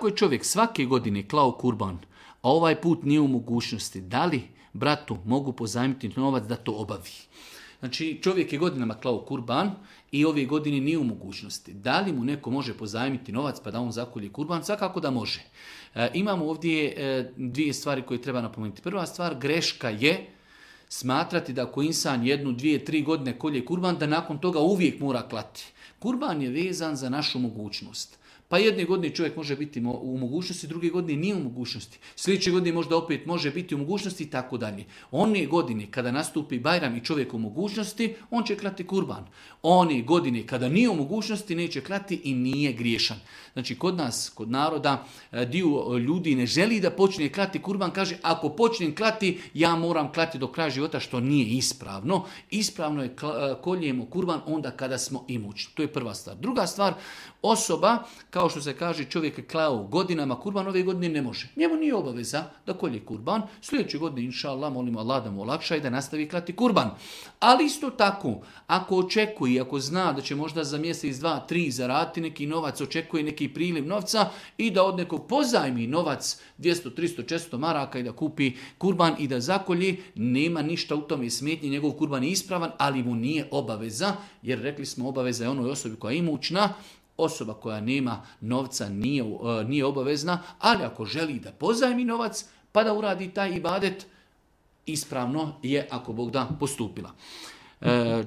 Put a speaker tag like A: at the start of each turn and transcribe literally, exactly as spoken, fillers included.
A: Ako je čovjek svake godine klao kurban, a ovaj put nije u mogućnosti, da li bratu mogu pozajmiti novac da to obavi? Znači, čovjek je godinama klao kurban i ove godine nije u mogućnosti. Da li mu neko može pozajmiti novac pa da on zakolje kurban? Svakako da može. E, imamo ovdje e, dvije stvari koje treba napomenuti. Prva stvar, greška je smatrati da ako insan jednu, dvije, tri godine kolje kurban, da nakon toga uvijek mora klati. Kurban je vezan za našu mogućnost. Pa jedne godine čovjek može biti u mogućnosti, druge godine nije u mogućnosti. Sljedeće godine možda opet može biti u mogućnosti i tako dalje. One godine kada nastupi Bajram i čovjek u mogućnosti, on će klati kurban. One godine kada nije u mogućnosti, neće klati i nije griješan. Znači kod nas, kod naroda, dio ljudi ne želi da počne klati kurban, kaže ako počnem klati, ja moram klati do kraja života, što nije ispravno. Ispravno je koljemo kurban onda kada smo imućni. To je prva stvar. Druga stvar, osoba, kao što se kaže, čovjek je klao godinama kurban, ove godine ne može. Njemu nije obaveza da kolje kurban. Sljedeće godine, inša Allah, molimo Allah da mu olakša i da nastavi klati kurban. Ali isto tako, ako očekuje, ako zna da će možda za mjesec, dva, tri zaraditi neki novac, očekuje neki priliv novca i da od nekog pozajmi novac dvjesto, tristo, četiristo maraka i da kupi kurban i da zakolji, nema ništa u tome smetnje, njegov kurban je ispravan, ali mu nije obaveza, jer rekli smo obaveza je onoj osobi koja je imućna. Osoba koja nema novca nije, nije obavezna, ali ako želi da pozajmi novac pa da uradi taj ibadet, ispravno je ako Bog da postupila. E,